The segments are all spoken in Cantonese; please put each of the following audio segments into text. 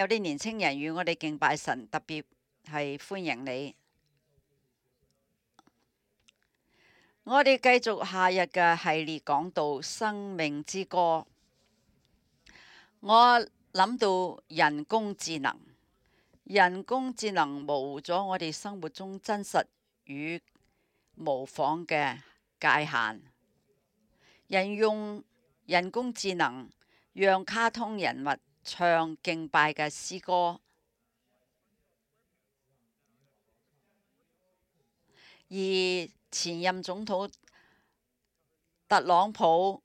有啲年青人與我哋敬拜神，特別係歡迎你。我哋繼續下日嘅系列講到生命之歌。我諗到人工智能，人工智能模糊咗我哋生活中真實與模仿嘅界限。人用人工智能讓卡通人物唱敬拜嘅詩歌，而前任總統特朗普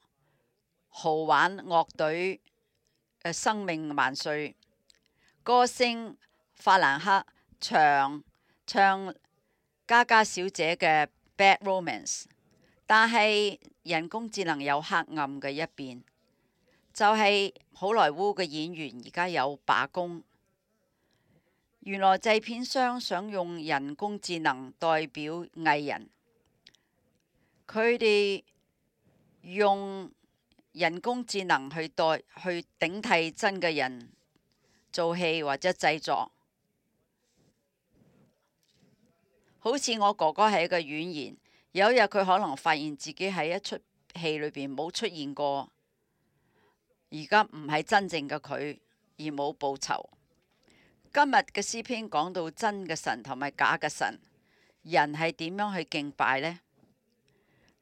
豪玩樂隊嘅生命萬歲，歌星法蘭克唱嘉嘉小姐嘅 Bad Romance， 但係人工智能有黑暗嘅一邊，就係好萊塢嘅演員而家有罷工。原來製片商想用人工智能代表藝人，佢哋用人工智能去頂替真嘅人做戲或者製作。好似我哥哥係一個演員，有一日佢可能發現自己喺一出戲裏邊冇出現過，而家唔係真正嘅佢，而冇報酬。今日嘅詩篇講到真嘅神同埋假嘅神，人係點樣去敬拜呢？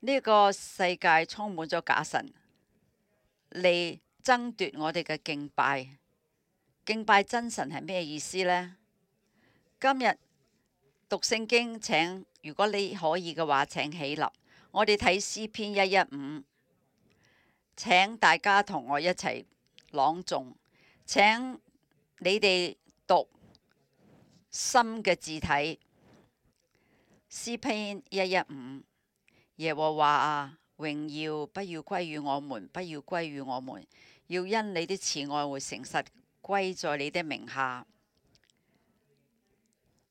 呢個世界充滿咗假神嚟爭奪我哋嘅敬拜。敬拜真神係咩意思呢？今日讀聖經，如果你可以嘅話，請起立。我哋睇詩篇115，請大家同我一齊朗誦。請你哋讀深嘅字體。詩篇115，耶和華啊，榮耀不要歸於我們，不要歸於我們，要因你的慈愛和誠實歸在你的名下。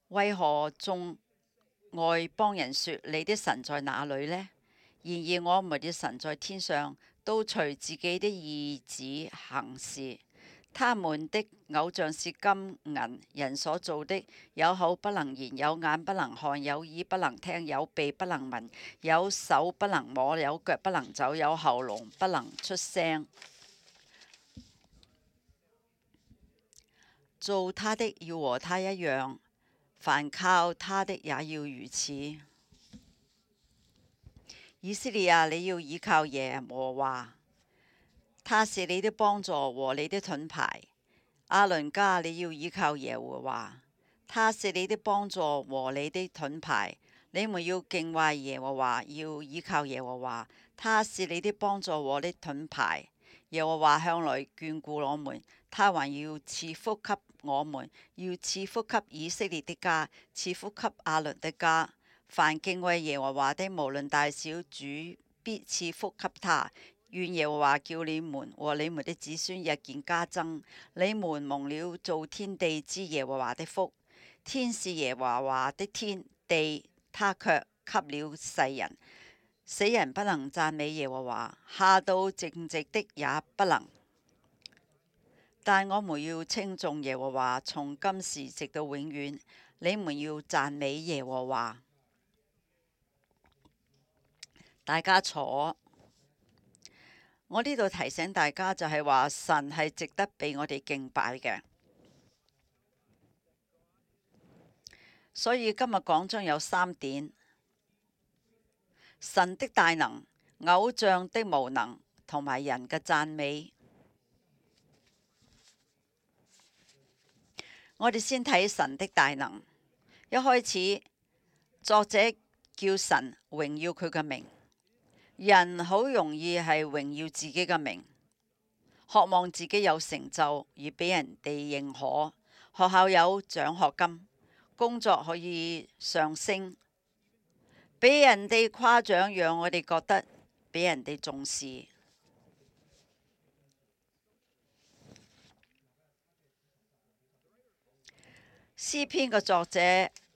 為何眾外邦人說你的神在哪裏呢？然而我們的神在天上，都隨自己的意旨行事。他們的偶像是金銀，人所造的，有口不能言，有眼不能看，有耳不能聽，有鼻不能聞，有手不能摸，有腳不能走，有喉嚨不能出聲。造他的要和他一樣，凡靠他的也要如此。以色列啊，你要倚靠耶和華，他是你的幫助和你的盾牌。亞倫家，你要倚靠耶和華，他是你的幫助和你的盾牌。你們要敬畏耶和華，要倚靠耶和華，他是你的幫助和你的盾牌。耶和華向來眷顧我們，他還要賜福給我們，要賜福給以色列的家，賜福給亞倫的家。凡敬畏耶和華的，無論大小，主必賜福給他。願耶和華叫你們和你們的子孫日漸加增。你們蒙了造天地之耶和華的福。天是耶和華的天，地他卻給了世人。死人不能讚美耶和華，下到淨直的也不能。但我們要稱頌耶和華，從今時直到永遠。你們要讚美耶和華。大家坐。我呢度提醒大家就係話，神係值得俾我哋敬拜嘅。所以今日講章有3點：神的大能、偶像的無能同埋人嘅讚美。我哋先睇神的大能。一開始，作者叫神榮耀佢嘅名。人好容易係榮耀自己嘅名，渴望自己有成就而俾人哋認可，學校有獎學金，工作可以上升，俾人哋誇獎，讓我哋覺得俾人哋重視。詩篇嘅作者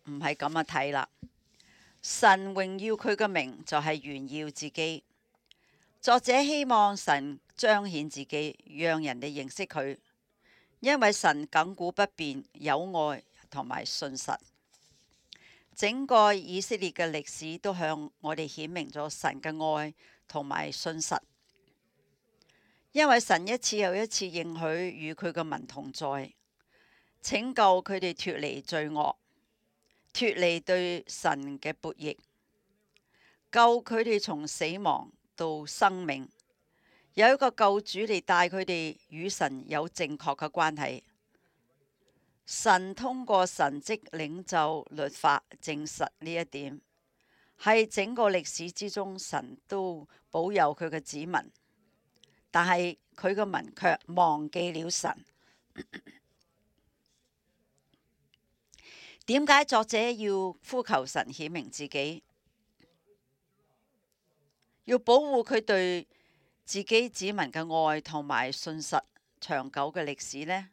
唔係咁樣睇啦。神榮耀佢嘅名就係炫耀自己。作者希望神彰顯自己，讓人哋認識佢。因為神亙古不變，有愛同埋信實。整個以色列嘅歷史都向我哋顯明咗神嘅愛同埋信實。因為神一次又一次應許與佢嘅民同在，拯救佢哋脫離罪惡，脫離對神嘅悖逆，救佢哋從死亡到生命，有一個救主嚟帶佢哋與神有正確嘅關係。神通過神蹟領袖律法證實呢一點，喺整個歷史之中，神都保佑佢嘅子民，但係佢嘅民卻忘記了神。點解作者要呼求神顯明自己，要保護佢對自己子民嘅愛同埋信實長久嘅歷史呢？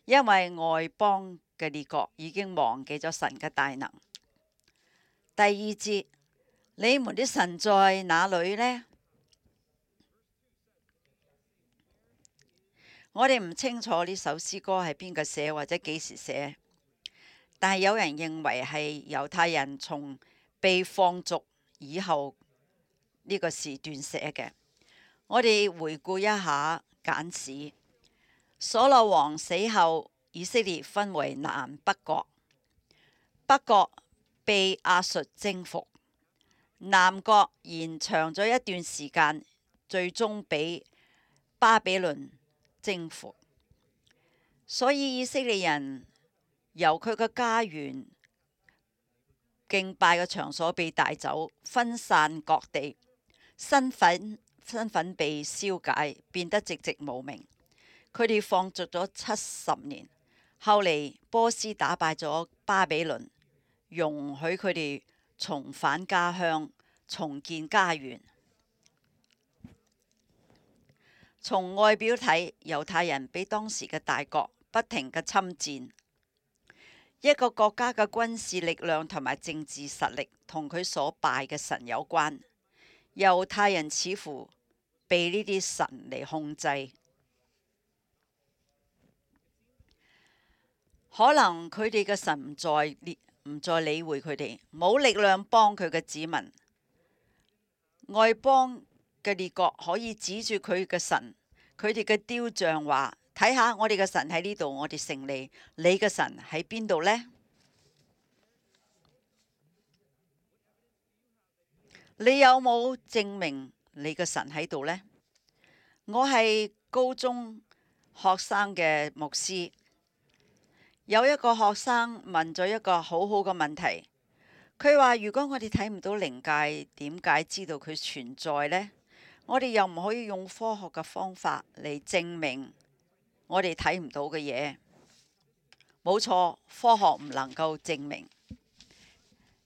因為外邦嘅列國已經忘記咗神嘅大能。第二節，你們的神在哪裏呢？我哋唔清楚呢首詩歌係邊個寫或者幾時寫，但係有人認為係猶太人從被放逐以後呢個時段寫嘅。我哋回顧一下簡史。所羅王死後，以色列分為南北國，北國被亞述征服，南國延長咗一段時間，最終被巴比倫征服。所以以色列人由佢嘅家園、敬拜嘅場所被帶走，分散各地，身份被消解，變得寂寂無名。佢哋放逐咗70年，後嚟波斯打敗咗巴比倫，容許佢哋重返家鄉，重建家園。從外表睇，猶太人比當時嘅大國不停嘅侵佔。一個國家嘅軍事力量同埋政治實力同佢所拜嘅神有關。猶太人似乎被呢啲神嚟控制。可能佢哋嘅神唔再理會佢哋，冇力量幫佢嘅子民。外邦嘅列國可以指住佢嘅神，佢哋嘅雕像話：睇下我哋嘅神喺呢度，我哋勝利。你嘅神喺邊度呢？你有冇證明你嘅神喺度呢？我係高中學生嘅牧師。有一個學生問咗一個好好嘅問題，佢話：如果我哋睇唔到靈界，點解知道佢存在呢？我哋又唔可以用科學嘅方法嚟證明我哋睇唔到嘅嘢。冇錯，科學唔能夠證明。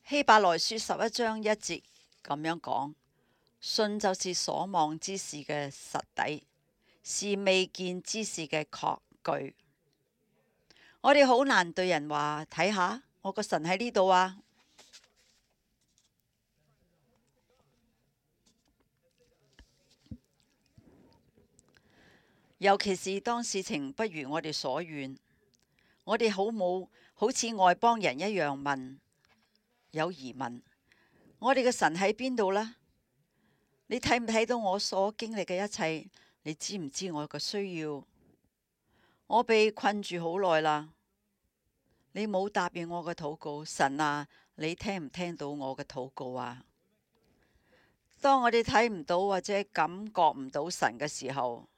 希伯來書11章1節咁樣講：信就是所望之事嘅實底，是未見之事嘅確據。我哋好難對人話：睇下我個神喺呢度啊！尤其是當事情不如我哋所願，我哋好似外邦人一樣問，有疑問：我哋嘅神喺邊度呢？你睇唔睇到我所經歷嘅一切？你知唔知我嘅需要？我被困住好耐啦，你冇答應我嘅禱告，神啊，你聽唔聽到我嘅禱告啊？當我哋睇唔到或者感覺唔到神嘅時候，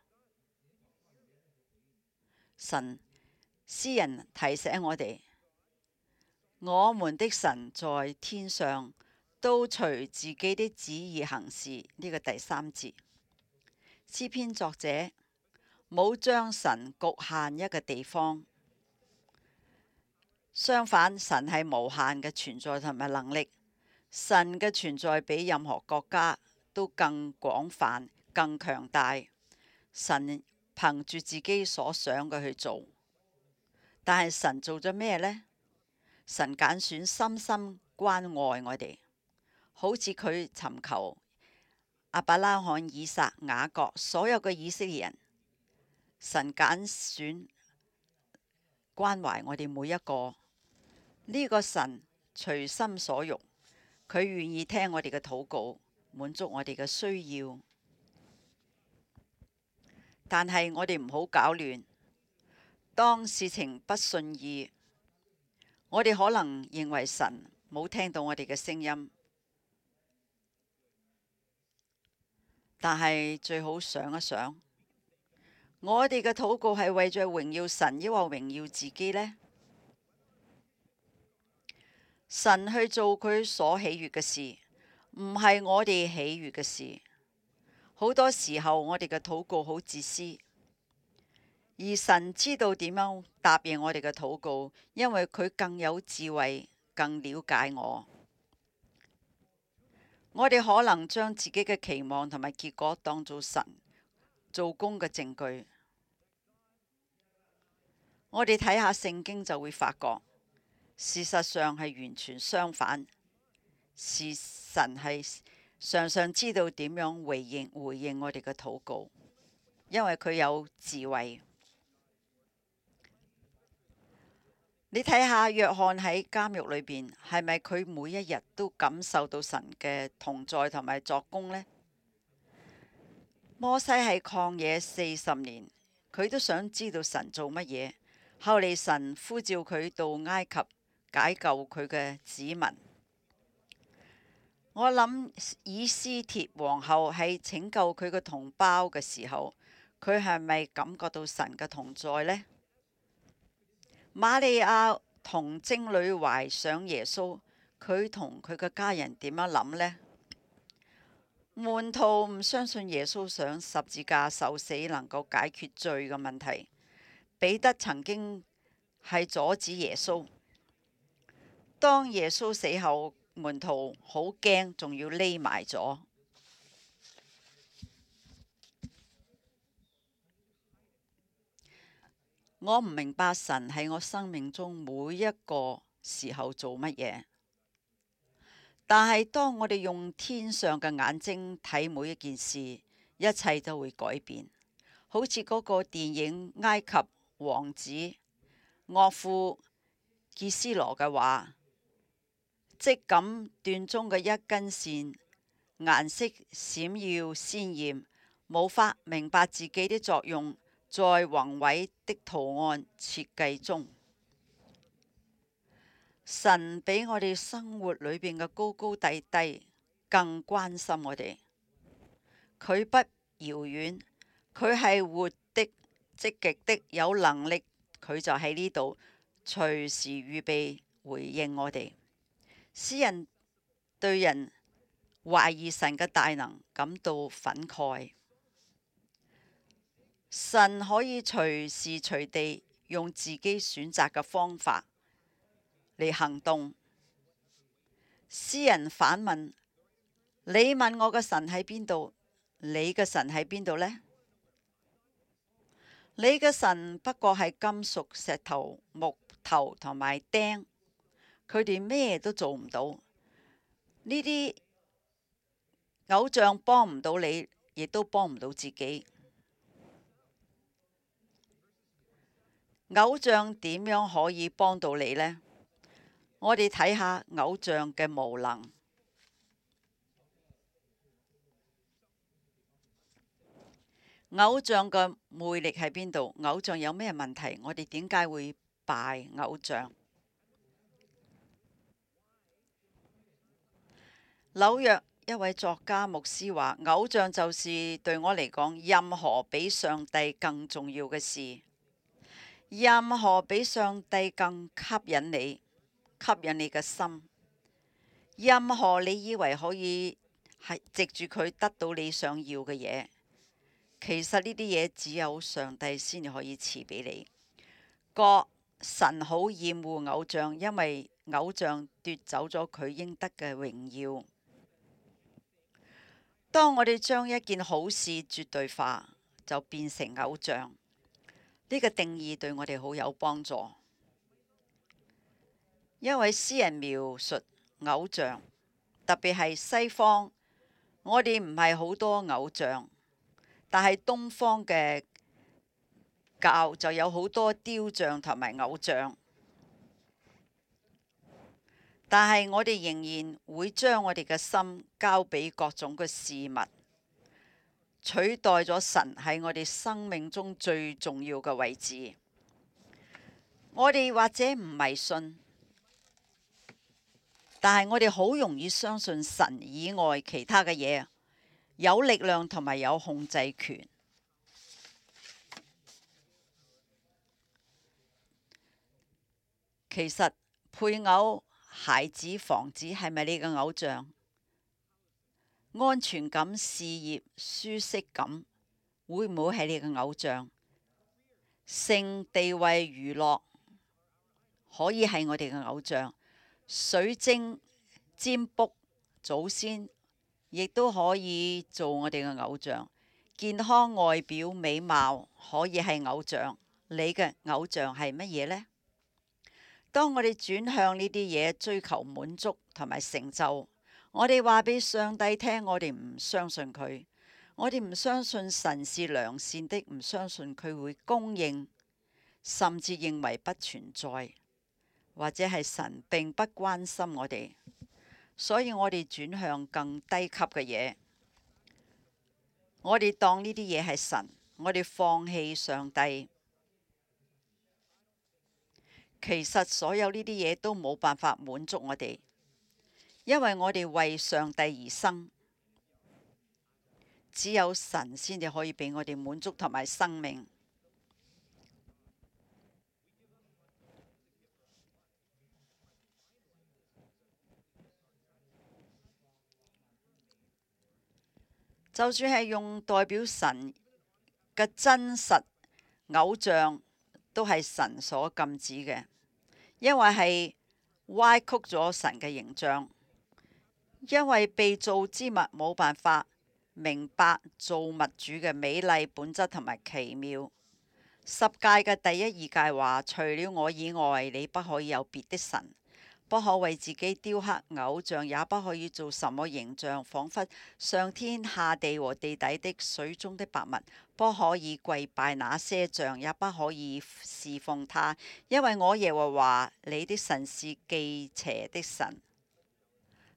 詩人提醒我哋：我們的神在天上，都隨自己的旨意行事。呢個第3節，詩篇作者冇將神局限一個地方，相反，神係無限嘅存在同埋能力。神嘅存在比任何國家都更廣泛、更強大。神憑住自己所想嘅去做，但係神做咗咩呢？神揀選深深關愛我哋，好似佢尋求亞伯拉罕、以撒、雅各所有嘅以色列人。神揀選關懷我哋每一個。呢個神隨心所欲，佢願意聽我哋嘅禱告，滿足我哋嘅需要。但係我哋唔好搞亂，當事情不順意，我哋可能認為神冇聽到我哋嘅聲音，但係最好想一想，我哋嘅禱告係為咗榮耀神，抑或榮耀自己呢？神去做佢所喜悅嘅事，唔係我哋喜悅嘅事。好多時候我哋嘅禱告好自私，而神知道點樣答應我哋嘅禱告，因為佢更有智慧，更了解我。我哋可能將自己嘅期望同埋結果當做神做工嘅證據。我哋睇下聖經就會發覺，事實上係完全相反。神係常常知道點樣回應我哋嘅禱告，因為佢有智慧。你睇下約翰喺監獄裏邊，係咪佢每一日都感受到神嘅同在同埋作工呢？摩西喺曠野40年，佢都想知道神做乜嘢。後嚟神呼召佢到埃及解救佢嘅子民。我諗以斯帖皇后喺拯救佢嘅同胞嘅時候，佢係咪感覺到神嘅同在呢？瑪利亞童貞女懷上耶穌，佢同佢嘅家人點樣諗呢？門徒唔相信耶穌上十字架受死能夠解決罪嘅問題。彼得曾經係阻止耶穌。當耶穌死後，門徒好驚，仲要匿埋咗。我唔明白神喺我生命中每一個時候做乜嘢，但係當我哋用天上嘅眼睛睇每一件事，一切都會改變。好似嗰個電影《埃及王子》岳父傑斯羅嘅話，即咁斷中嘅一根線，顏色閃耀鮮豔，無法明白自己的作用，在宏偉的圖案設計中。神比我哋生活裏邊嘅高高低低更關心我哋。佢不遙遠，佢係活的、積極的、有能力，佢就喺呢度，隨時預備回應我哋。詩人對人懷疑神嘅大能感到憤慨。神可以隨時隨地用自己選擇嘅方法嚟行動。詩人反問：你問我嘅神喺邊度？你嘅神喺邊度呢？你嘅神不過係金屬、石頭、木頭同埋釘，佢哋咩都做唔到。呢啲偶像幫唔到你，亦都幫唔到自己。偶像點樣可以幫到你呢？我哋睇下偶像嘅無能。偶像嘅魅力喺邊度？偶像有咩問題？我哋點解會拜偶像？紐約一位作家牧師話：偶像就是對我嚟講，任何比上帝更重要嘅事。任何比上帝更吸引你嘅心，任何你以為可以係藉住佢得到你想要嘅嘢，其實呢啲嘢只有上帝先至可以賜俾你。神好厭惡偶像，因為偶像奪走咗佢應得嘅榮耀。當我哋將一件好事絕對化，就變成偶像。呢個定義對我哋好有幫助。一位詩人描述偶像，特別係西方，我哋唔係好多偶像，但係東方嘅教就有好多雕像同埋偶像，但係我哋仍然會將我哋嘅心交俾各種嘅事物，取代咗神喺我哋生命中最重要嘅位置。我哋或者唔迷信，但係我哋好容易相信神以外其他嘅嘢有力量同埋有控制權。其實配偶、孩子、房子係咪你嘅偶像？安全感、事業、舒適感會唔會係你嘅偶像？性、地位、娛樂可以係我哋嘅偶像。水晶、占卜、祖先亦都可以做我哋嘅偶像。健康、外表、美貌可以係偶像。你嘅偶像係乜嘢呢？當我哋轉向呢啲嘢追求滿足同埋成就，我哋話俾上帝聽，我哋唔相信佢，我哋唔相信神是良善的，唔相信佢會供應，甚至認為不存在，或者係神並不關心我哋，所以我哋轉向更低級嘅嘢，我哋當呢啲嘢係神，我哋放棄上帝。其實所有呢啲嘢都冇辦法滿足我哋，因為我哋為上帝而生，只有神先至可以俾我哋滿足同埋生命。就算係用代表神嘅真實偶像，都係神所禁止嘅，因為係歪曲咗神嘅形象。因為被造之物冇辦法明白造物主嘅美麗本質同埋奇妙。十誡嘅第一二誡話：除了我以外，你不可以有別的神，不可為自己雕刻偶像，也不可以做什麼形象，仿佛上天下地和地底的水中的百物，不可以跪拜那些像，也不可以侍奉他，因為我耶和華你的神是忌邪的神。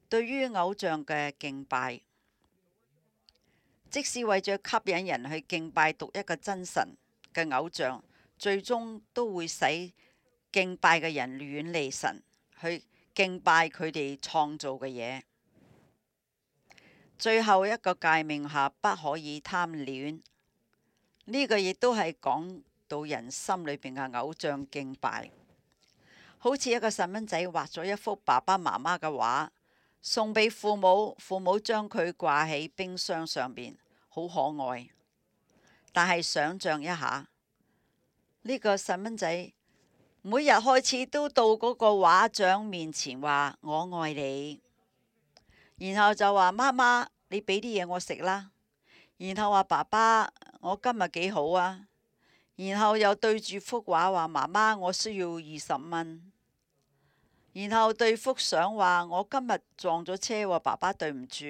對於偶像嘅敬拜，即使為咗吸引人去敬拜獨一個真神嘅偶像，最終都會使敬拜嘅人遠離神，去敬拜佢哋創造嘅嘢。最後一個誡命下，不可以貪戀，呢個亦都係講到人心裏邊嘅偶像敬拜。好似一個細蚊仔畫咗一幅爸爸媽媽嘅畫，送俾父母，父母將佢掛喺冰箱上邊，好可愛。但係想象一下，呢個細蚊仔每日開始都到嗰個畫像面前話我愛你，然後就話媽媽你俾啲嘢我食啦，然後話爸爸我今日幾好啊，然後又對住幅畫話媽媽我需要20蚊。然後對幅相話：我今日撞咗車喎，爸爸對唔住。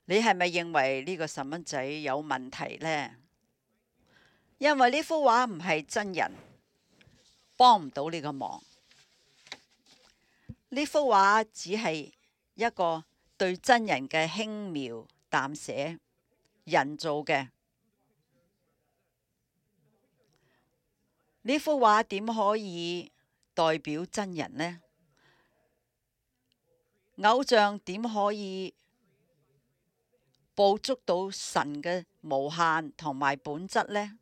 你係咪認為呢個細蚊仔有問題呢？因為呢幅畫唔係真人，幫唔到你個忙。呢幅畫只係一個對真人嘅輕描淡寫，人造嘅。呢幅畫點可以代表真人呢？偶像點可以捕捉到神嘅無限同埋本質呢？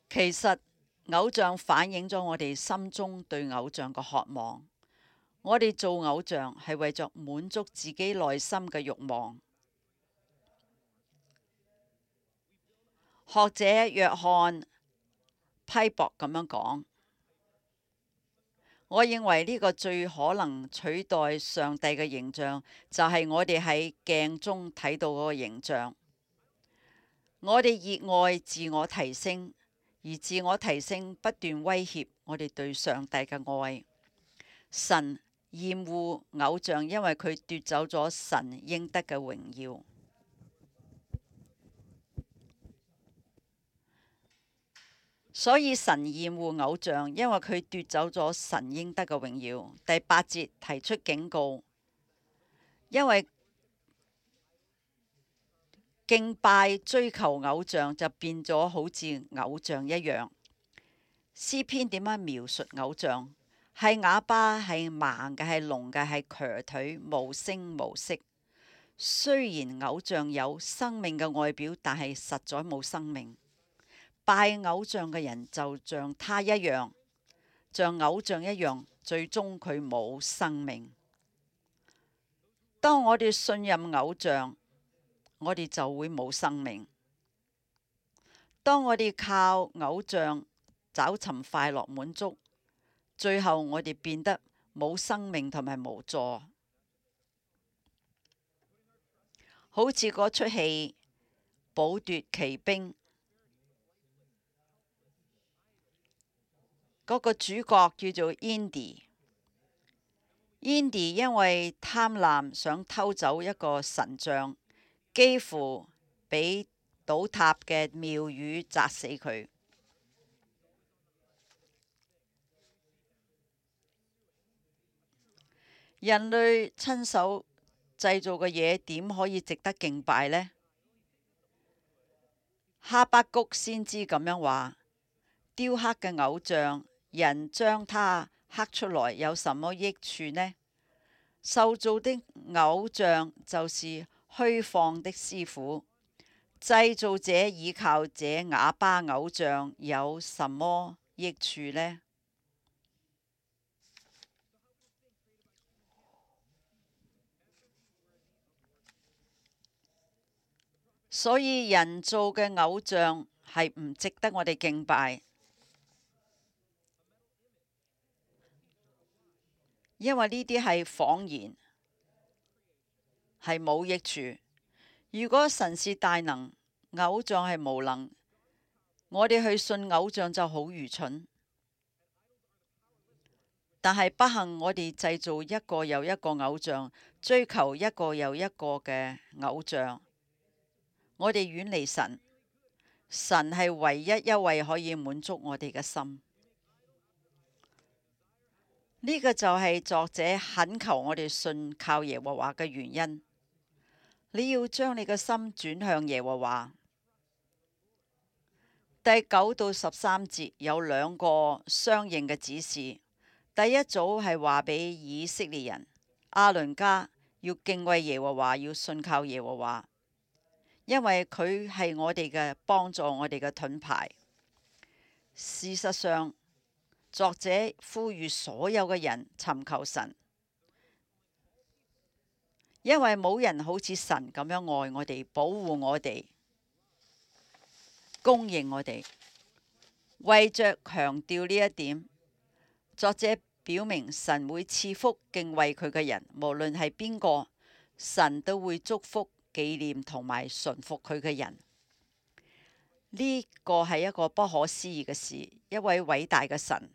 其實偶像反映咗我哋心中對偶像嘅渴望。我哋做偶像係為咗滿足自己內心嘅慾望。學者約翰批博咁樣講。我認為呢個最可能取代上帝嘅形象，就係我哋喺鏡中睇到嗰個形象。我哋熱愛自我提升，而自我提升不斷威脅我哋對上帝嘅愛。神厭惡偶像，因為佢奪走咗神應得嘅榮耀。所以神厭惡偶像，因為佢奪走咗神應得嘅榮耀。第8節提出警告，因為敬拜追求偶像就變咗好似偶像一樣。詩篇點樣描述偶像？係啞巴，係盲嘅，係聾嘅，係瘸腿，無聲無息。雖然偶像有生命嘅外表，但係實在冇生命。拜偶像嘅人就像他一樣，像偶像一樣，最終佢冇生命。當我哋信任偶像，我哋就會冇生命。當我哋靠偶像找尋快樂滿足，最後我哋變得冇生命同埋無助。好似嗰出戲《寶奪奇兵》，嗰個主角叫做 Indy。Indy 因為貪婪想偷走一個神像，幾乎俾倒塌嘅廟宇砸死佢。人類親手製造嘅嘢點可以值得敬拜呢？哈巴谷先知咁樣話：雕刻嘅偶像，人將它刻出來有什麼益處呢？受造的偶像就是虛放的師傅，製造者倚靠這啞巴偶像有什麼益處呢？所以人造嘅偶像係唔值得我哋敬拜，因為呢啲係謊言，係冇益處。如果神是大能，偶像係無能，我哋去信偶像就好愚蠢。但係不幸，我哋製造一個又一個偶像，追求一個又一個嘅偶像。我哋遠離神，神係唯一一位可以滿足我哋嘅心。呢個就係作者懇求我哋信靠耶和華嘅原因。你要將你嘅心轉向耶和華。第9到13節有2個相應嘅指示。第一組係話俾以色列人，亞倫家要敬畏耶和華，要信靠耶和華。因為佢係我哋嘅幫助，我哋嘅盾牌。事實上，作者呼籲所有嘅人尋求神，因為冇人好似神咁樣愛我哋、保護我哋、供應我哋。為着強調呢一點，作者表明神會賜福敬畏佢嘅人，無論係邊個，神都會祝福紀念同埋順服佢嘅人。呢個係一個不可思議嘅事，一位偉大嘅神，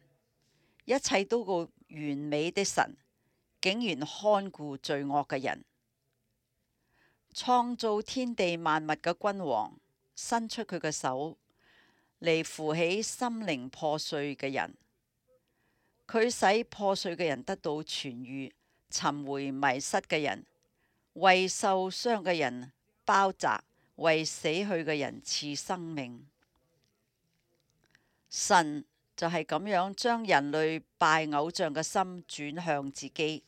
一切都個完美的神，竟然看顧罪惡嘅人。創造天地萬物嘅君王，伸出佢嘅手嚟扶起心靈破碎嘅人。佢使破碎嘅人得到痊癒，尋回迷失嘅人，為受傷嘅人包紮，為死去嘅人賜生命。神就係咁樣將人類拜偶像嘅心轉向自己。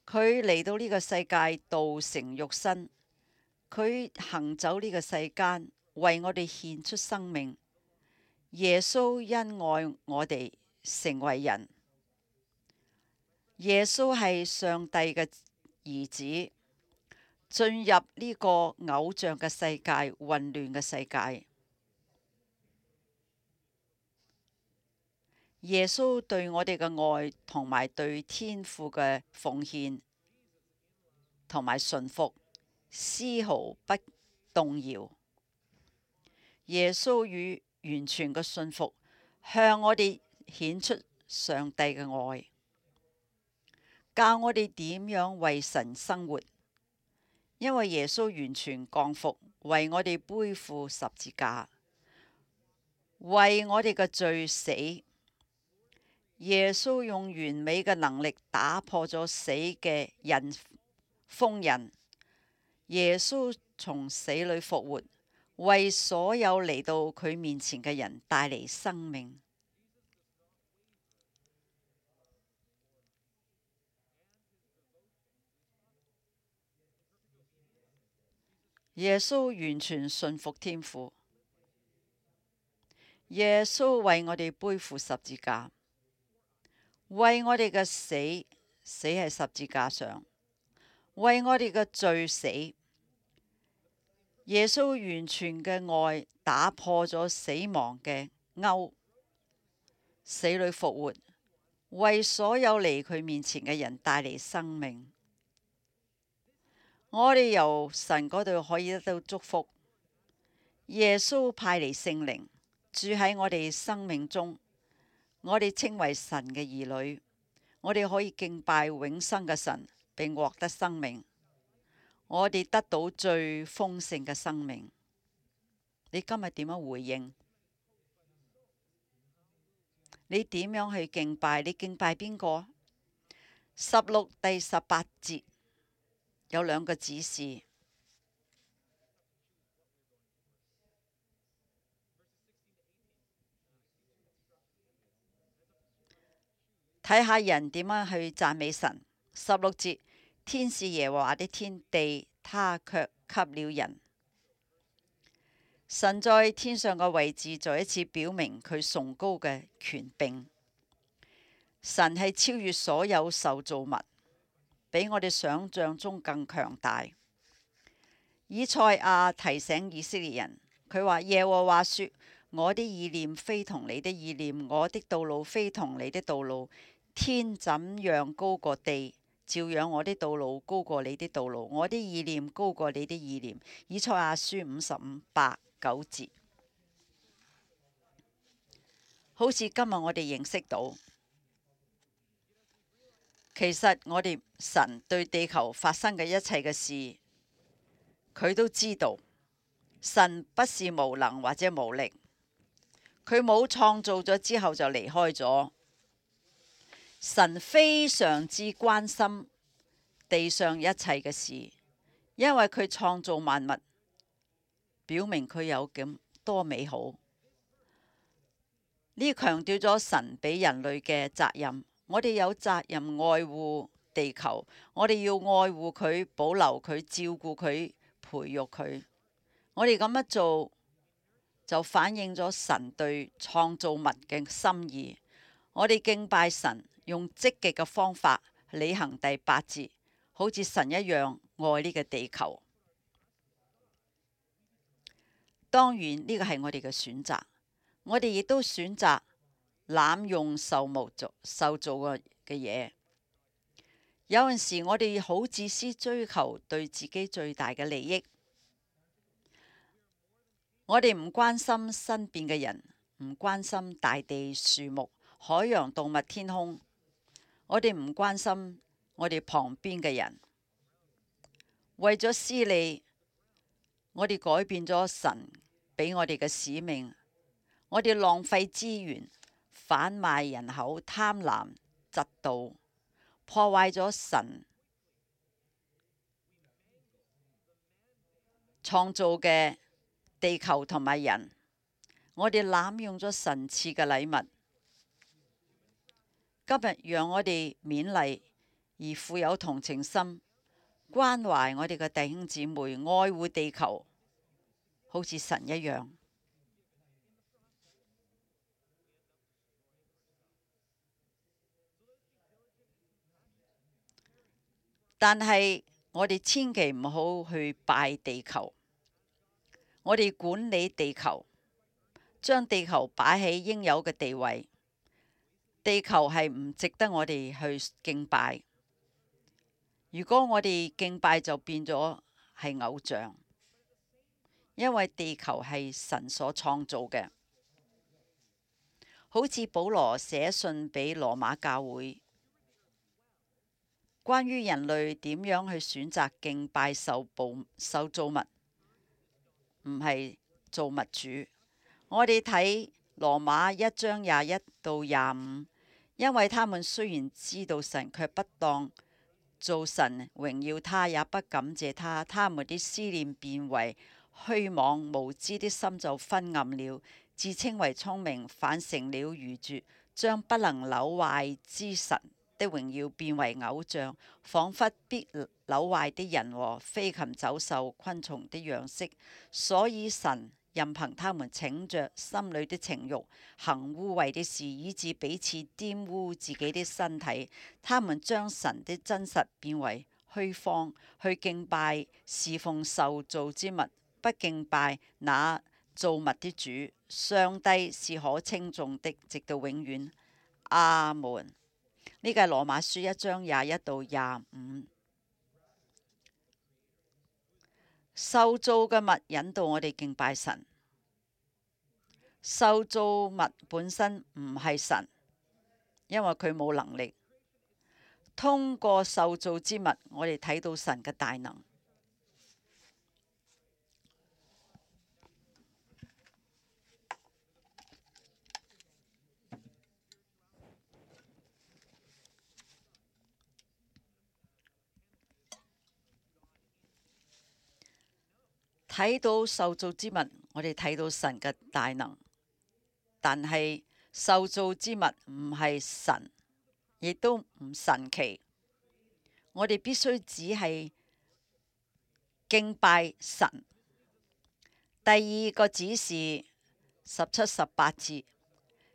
佢嚟到呢個世界，道成肉身，佢行走呢個世間，為我哋獻出生命。耶穌因愛我哋成為人。耶穌係上帝嘅兒子，進入呢個偶像嘅世界，混亂嘅世界。耶穌對我哋嘅愛同埋對天父嘅奉獻同埋順服，絲毫不動搖。耶穌與完全嘅信服，向我哋顯出上帝嘅愛，教我哋點樣為神生活。因為耶穌完全降服，為我哋背負十字架，為我哋嘅罪死。耶穌用完美嘅能力打破咗死嘅封印。耶穌從死裏復活，為所有嚟到佢面前嘅人帶嚟生命。耶穌完全信服天父。耶穌為我哋背負十字架，為我哋嘅死喺十字架上，為我哋嘅罪死。耶穌完全嘅愛打破咗死亡嘅鈎，死裏復活，為所有嚟佢面前嘅人帶嚟生命。我哋由神嗰度可以得到祝福。耶穌派嚟聖靈住喺我哋生命中，我哋稱為神嘅兒女，我哋可以敬拜永生嘅神，並獲得生命。我哋得到最豐盛嘅生命。你今日點樣回應？你點樣去敬拜？你敬拜邊個？16第18節有兩個指示。睇下人點樣去讚美神。16節，天是耶和華的天地，他卻給了人。神在天上嘅位置再一次表明佢崇高嘅權柄。神係超越所有受造物，比我哋想象中更強大。以賽亞提醒以色列人，佢話耶和華說：我的意念非同你的意念，我的道路非同你的道路。天怎樣高過地，照樣我的道路高過你的道路，我的意念高過你的意念。以賽亞書55:8-9節。好似今日我哋認識到，其實我哋神對地球發生嘅一切嘅事，佢都知道。神不是無能或者無力，佢冇創造咗之後就離開咗。神非常之關心地上一切嘅事，因為佢創造萬物，表明佢有咁多美好。呢強調咗神俾人類嘅責任。我哋有責任愛護地球，我哋要愛護佢、保留佢、照顧佢、培育佢。我哋咁樣做就反映咗神對創造物嘅心意。我哋敬拜神，用積極嘅方法履行第8節，好似神一樣愛呢個地球。當然呢個係我哋嘅選擇，我哋亦都選擇濫用受造嘅嘢。有陣時我哋好自私，追求對自己最大嘅利益。我哋唔關心身邊嘅人，唔關心大地、樹木、海洋、動物、天空。我哋唔關心我哋旁邊嘅人。為咗私利，我哋改變咗神俾我哋嘅使命。我哋浪費資源，販賣人口，貪婪、嫉妒，破壞咗神創造嘅地球同埋人。我哋濫用咗神賜嘅禮物。今日讓我哋勉勵而富有同情心，關懷我哋嘅弟兄姊妹，愛護地球，好似神一樣。但係我哋千祈唔好去拜地球。我哋管理地球，將地球擺喺應有嘅地位。地球係唔值得我哋去敬拜。如果我哋敬拜就變咗係偶像，因為地球係神所創造嘅。好似保羅寫信俾羅馬教會，關於人類點樣去選擇敬拜受造物，唔係造物主。我哋睇羅馬1章21到25，因為他們雖然知道神，卻不當做神榮耀他，也不感謝他，他們的思念變為虛妄，無知的心就昏暗了，自稱為聰明，反成了愚拙，將不能朽壞之神的榮耀變為偶像，仿佛必朽壞的人和飛禽走獸、昆蟲的樣式。所以神任憑他們逞着心裏的情慾，行污穢的事，以致彼此玷污自己的身體。他們將神的真實變為虛謊，去敬拜侍奉受造之物，不敬拜那造物的主。上帝是可稱頌的，直到永遠。阿門。呢個係羅馬書1章21到25。受造嘅物引導我哋敬拜神。受造物本身唔係神，因為佢冇能力。通過受造之物，我哋睇到神嘅大能。睇到受造之物，我哋睇到神嘅大能。但係受造之物唔係神，亦都唔神奇。我哋必須只係敬拜神。第二個指示17、18節，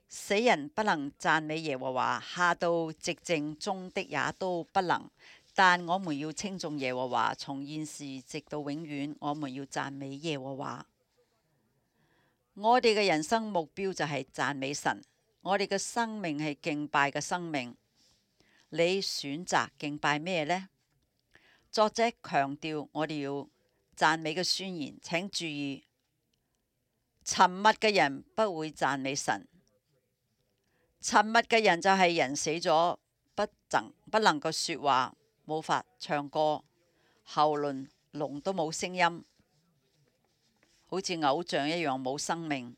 死人不能讚美耶和華，下到寂靜中的也都不能。但我們要稱頌耶和華，從現時直到永遠，我們要讚美耶和華。我哋嘅人生目標就係讚美神。我哋嘅生命係敬拜嘅生命。你選擇敬拜咩呢？作者強調我哋要讚美嘅宣言。請注意，沉默嘅人不會讚美神。沉默嘅人就係人死咗，不能夠說話，冇法唱歌，喉嚨聾都冇聲音，好似偶像一樣冇生命。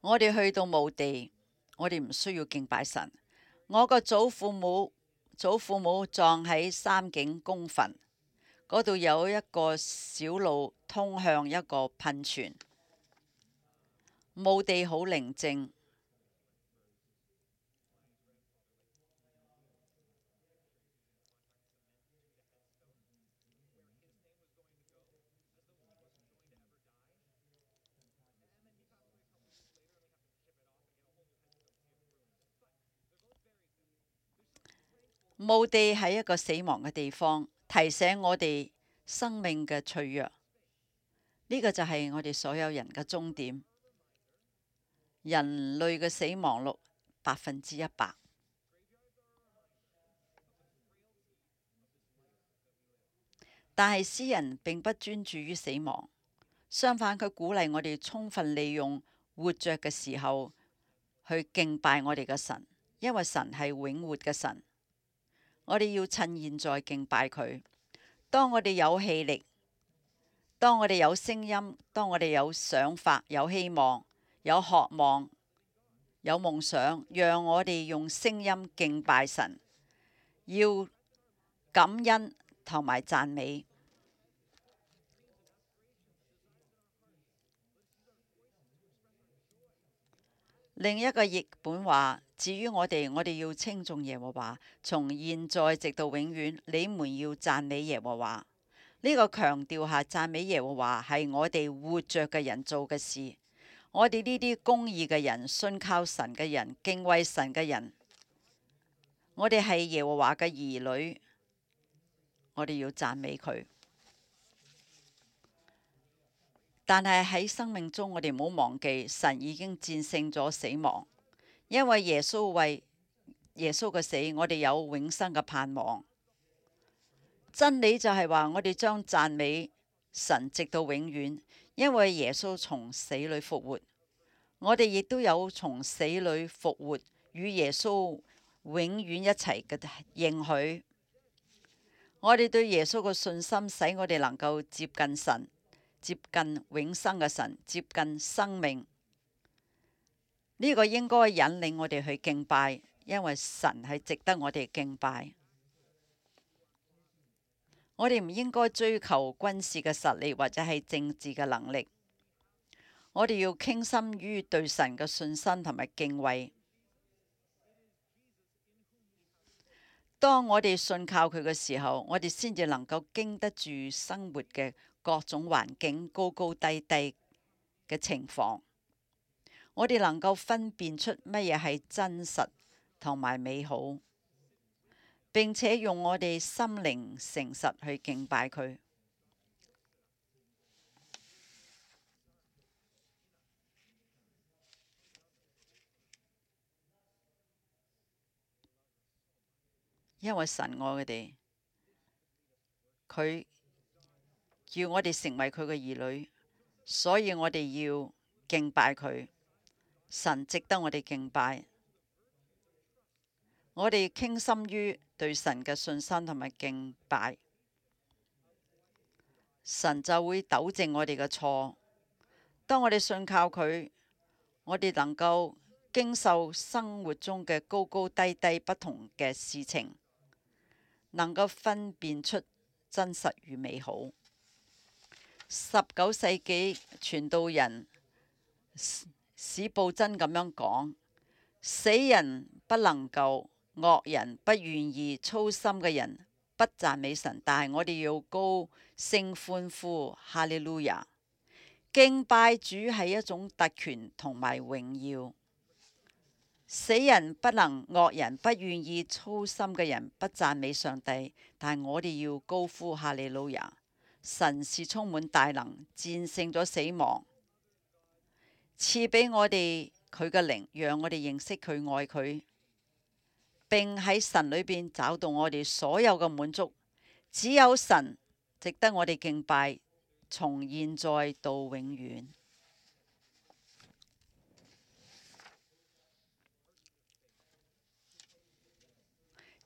我哋去到墓地，我哋唔需要敬拜神。我個祖父母葬喺三景公墳，嗰度有一個小路通向一個噴泉。墓地好寧靜。墓地係一個死亡嘅地方，提醒我哋生命嘅脆弱。呢個就係我哋所有人嘅終點。人類嘅死亡率100%。但係詩人並不專注於死亡，相反佢鼓勵我哋充分利用活着嘅時候去敬拜我哋嘅神，因為神係永活嘅神。我哋要趁現在敬拜佢。當我哋有氣力，當我哋有聲音，當我哋有想法、有希望、有渴望、有夢想，讓我哋用聲音敬拜神，要感恩同埋讚美。另一個譯本話，至於我哋要稱頌耶和華，從現在直到永遠，你們要讚美耶和華。呢個強調下讚美耶和華係我哋活着嘅人做嘅事。我哋呢啲公義嘅人、信靠神嘅人、敬畏神嘅人，我哋係耶和華嘅兒女，我哋要讚美佢。但係喺生命中，我哋唔好忘記，神已經戰勝咗死亡，因為耶穌為耶穌嘅死，我哋有永生嘅盼望。真理就係話，我哋將讚美神直到永遠，因為耶穌從死裏復活，我哋亦都有從死裏復活與耶穌永遠一齊嘅應許。我哋對耶穌嘅信心，使我哋能夠接近神，接近永生嘅神，接近生命。呢個應該引領我哋去敬拜，因為神係值得我哋敬拜。我哋唔應該追求軍事嘅實力或者係政治嘅能力，我哋要傾心於對神嘅信心同埋敬畏。當我哋信靠佢嘅時候，我哋先至能夠經得住生活嘅各種環境高高低低嘅情況。我哋能夠分辨出乜嘢係真實同埋美好，並且用我哋心靈誠實去敬拜佢。因為神愛我哋，佢叫我哋成為佢嘅兒女，所以我哋要敬拜佢。神值得我哋敬拜，我哋傾心於對神嘅信心同埋敬拜，神就會糾正我哋嘅錯。當我哋信靠佢，我哋能夠經受生活中嘅高高低低不同嘅事情，能夠分辨出真實與美好。19世紀傳道人史布真咁樣講：死人不能救，惡人不願意，粗心嘅人不讚美神，但係我哋要高聲歡呼，哈利路亞！敬拜主係一種特權同埋榮耀。死人不能，惡人不願意，粗心嘅人不讚美上帝，但係我哋要高呼哈利路亞！神是充滿大能，戰勝咗死亡，賜俾我哋佢嘅靈，讓我哋認識佢、愛佢，並喺神裏邊找到我哋所有嘅滿足。只有神值得我哋敬拜，從現在到永遠。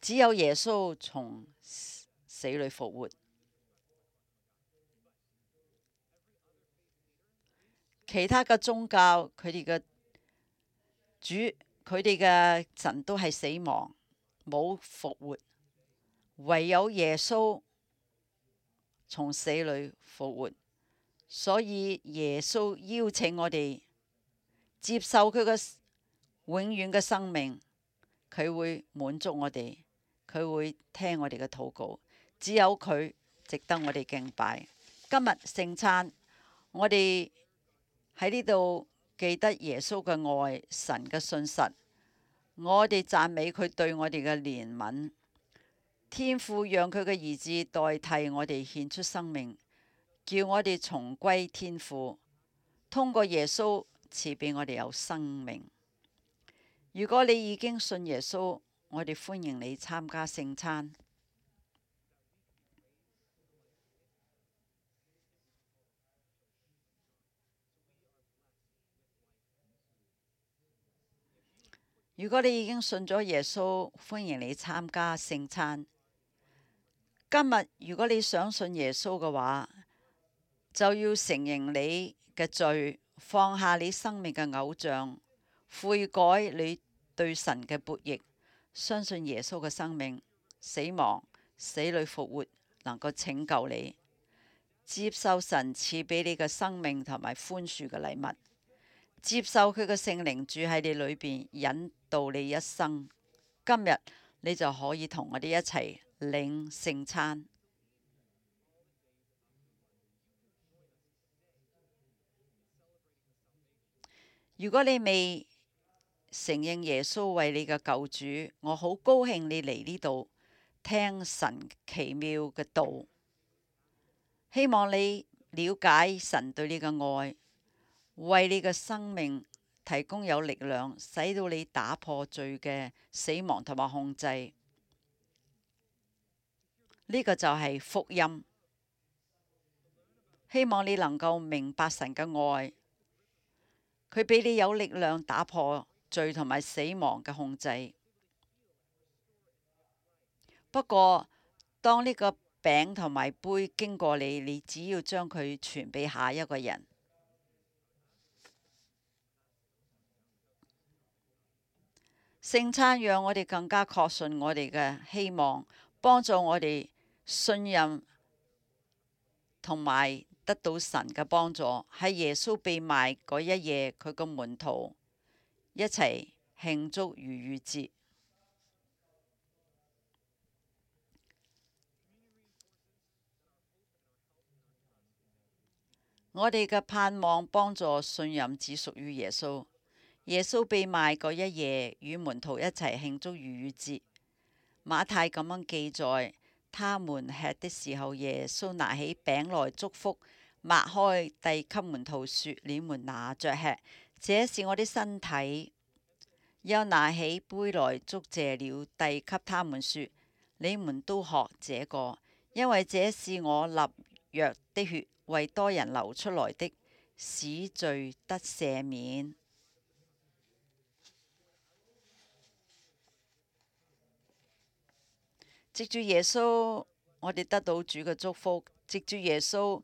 只有耶穌從死裏復活，其他嘅宗教佢哋嘅主，佢哋嘅神都係死亡，冇復活，唯有耶穌從死裏復活。所以耶穌邀請我哋接受佢嘅永遠嘅生命，佢會滿足我哋，佢會聽我哋嘅禱告。只有佢值得我哋敬拜。今日聖餐，我哋喺呢度記得耶穌嘅愛，神嘅信實，我哋讚美佢對我哋嘅憐憫。天父讓佢嘅兒子代替我哋獻出生命，叫我哋重歸天父，通過耶穌賜俾我哋有生命。如果你已經信耶穌，我哋歡迎你參加聖餐。如果你已經信咗耶穌，歡迎你參加聖餐。今日如果你想信耶穌嘅話，就要承認你嘅罪，放下你生命嘅偶像，悔改你對神嘅悖逆，相信耶穌嘅生命、死亡、死裏復活能夠拯救你，接受神賜俾你嘅生命同埋寬恕嘅禮物，接受佢嘅聖靈住喺你裏邊，引導你一生。今日你就可以同我哋一齊領聖餐。如果你未承認耶穌為你嘅救主，我好高興你嚟呢度聽神奇妙嘅道，希望你了解神對你嘅愛，為你嘅生命提供有力量，使到你打破罪嘅死亡同埋控制。呢個就係福音。希望你能夠明白神嘅愛，佢俾你有力量打破罪同埋死亡嘅控制。不過，當呢個餅同埋杯經過你，你只要將佢傳俾下一個人。聖餐讓我哋更加確信我哋嘅希望，幫助我哋信任同埋得到神嘅幫助。喺耶穌被賣嗰一夜，佢個門徒一齊慶祝逾越節。我哋嘅盼望幫助信任只屬於耶穌。耶穌被賣嗰一夜，與門徒一齊慶祝逾越節。馬太咁樣記載：他們吃的時候，耶穌拿起餅來祝福，擘開遞給門徒說：你們拿着吃，這是我的身體。又拿起杯來祝謝了，遞給他們說：你們都喝這個，因為這是我立約的血，為多人流出來的，使罪得赦免。藉住耶穌，我哋得到主嘅祝福；藉住耶穌，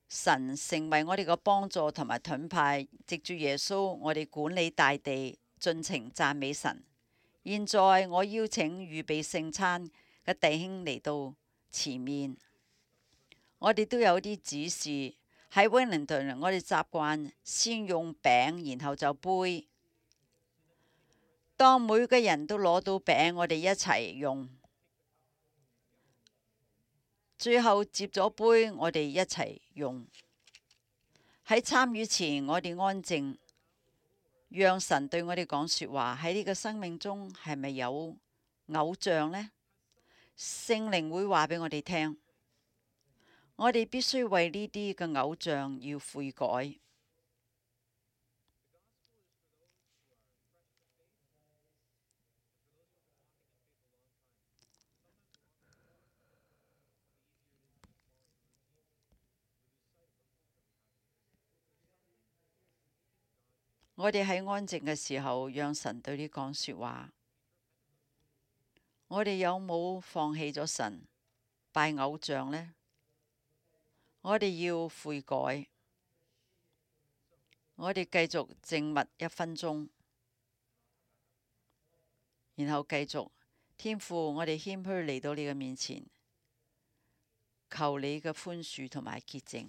神成為我哋嘅幫助同埋盾牌；藉住耶穌，我哋管理大地，盡情讚美神。現在我邀請預備聖餐嘅弟兄嚟到前面。我哋都有啲指示。喺威靈頓，我哋習慣先用餅，然後就杯。當每個人都攞到餅，我哋一齊用。最後接咗杯，我哋一齊用。喺參與前，我哋安靜，讓神對我哋講說話。喺呢個生命中，係咪有偶像呢？聖靈會話俾我哋聽。我哋必須為呢啲嘅偶像要悔改。我哋喺安靜嘅時候，讓神對你講說話。我哋有冇放棄咗神，拜偶像呢？我哋要悔改。我哋繼續靜默1分鐘，然後繼續。天父，我哋謙虛嚟到你嘅面前，求你嘅寬恕同埋潔淨。